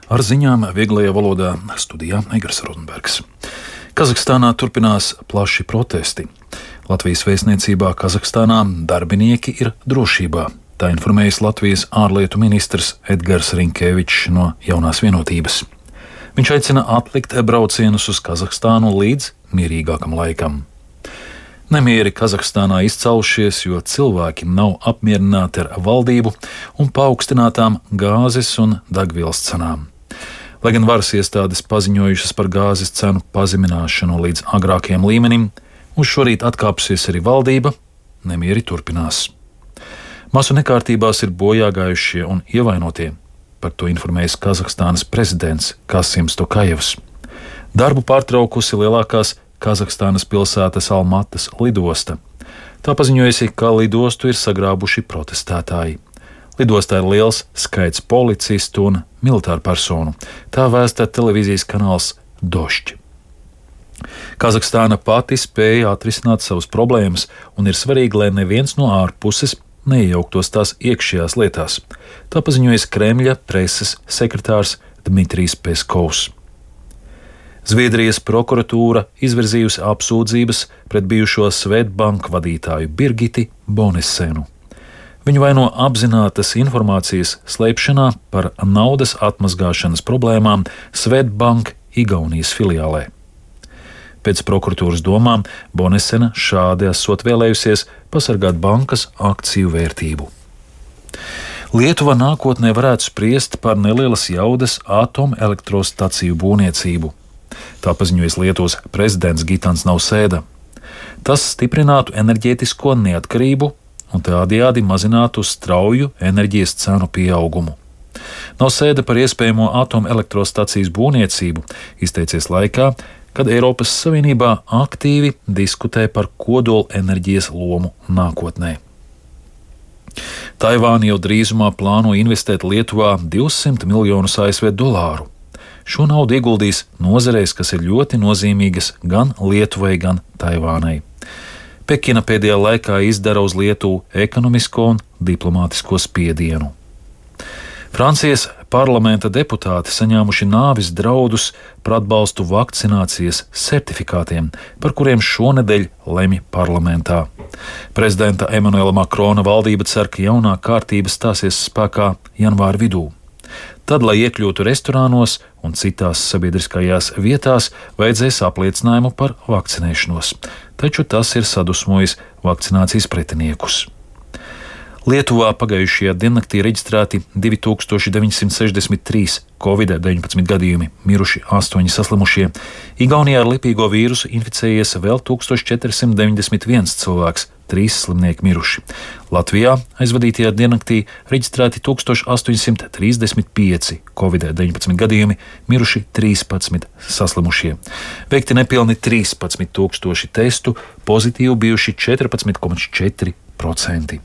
Ar ziņām vieglajā valodā studijā Egars Rozenbergs. Kazahstānā turpinās plaši protesti. Latvijas vēstniecībā Kazahstānā darbinieki ir drošībā. Tā informējis Latvijas ārlietu ministrs Edgars Rinkevičs no Jaunās vienotības. Viņš aicina atlikt braucienus uz Kazahstānu līdz mierīgākam laikam. Nemieri Kazahstānā izcaušies, jo cilvēki nav apmierināti ar valdību un paaugstinātām gāzes un degvielas cenām. Lai gan varas iestādes paziņojušas par gāzes cenu pazemināšanu līdz agrākajam līmenim, uz šorīt atkāpsies arī valdība, nemieri turpinās. Masu nekārtībās ir bojāgājušie un ievainotie. Par to informējis Kazahstānas prezidents Kasims Tokajevs. Darbu pārtraukusi lielākās Kazahstānas pilsētas Almatas lidosta. Tā paziņojusi, ka lidostu ir sagrābuši protestētāji. Lidostā ir liels skaits policistu un militāru personu. Tā vēsta televīzijas kanāls Došķi. Kazahstāna pati spēja atrisināt savas problēmas, un ir svarīgi, lai neviens no ārpuses neiejauktos tās iekšējās lietās. Tā paziņojas Kremļa preses sekretārs Dmitrijs Peskovs. Zviedrijas prokuratūra izvirzījusi apsūdzības pret bijušo Swedbank vadītāju Birgiti Bonesenu. Viņu vaino apzinātas informācijas slēpšanā par naudas atmazgāšanas problēmām Swedbank Igaunijas filiālē. Pēc prokuratūras domām Bonesena šādi esot vēlējusies pasargāt bankas akciju vērtību. Lietuva nākotnē varētu spriest par nelielas jaudas atomelektrostaciju būvniecību. Tā paziņojas Lietuvas prezidents Gitans Nausēda. Tas stiprinātu enerģētisko neatkarību un tādējādi mazinātu strauju enerģijas cenu pieaugumu. Nausēda par iespējamo atomelektrostacijas būvniecību izteicies laikā, kad Eiropas Savienībā aktīvi diskutē par kodola enerģijas lomu nākotnē. Taivāna jau drīzumā plāno investēt Lietuvā 200 miljonus ASV dolāru. Šo naudu ieguldīs nozarēs, kas ir ļoti nozīmīgas gan Lietuvai, gan Taivānai. Pekina pēdējā laikā izdara uz Lietuvu ekonomisko un diplomātisko spiedienu. Francijas parlamenta deputāti saņēmuši nāves draudus par atbalstu vakcinācijas certifikātiem, par kuriem šonedēļ lemj parlamentā. Prezidenta Emanuela Makrona valdība cer, ka jaunā kārtība stāsies spēkā janvāra vidū. Tad, lai iekļūtu restorānos un citās sabiedriskajās vietās, vajadzēs apliecinājumu par vakcinēšanos, taču tas ir sadusmojis vakcinācijas pretiniekus. Lietuvā pagājušajā diennaktī reģistrēti 2963 Covid-19 gadījumi, miruši 8 saslimušie. Igaunijā ar lipīgo vīrusu inficējies vēl 1491 cilvēks, 3 slimnieki miruši. Latvijā aizvadītajā diennaktī reģistrēti 1835 Covid-19 gadījumi, miruši 13 saslimušie. Veikti nepilni 13 000 testu, pozitīvi bijuši 14,4%.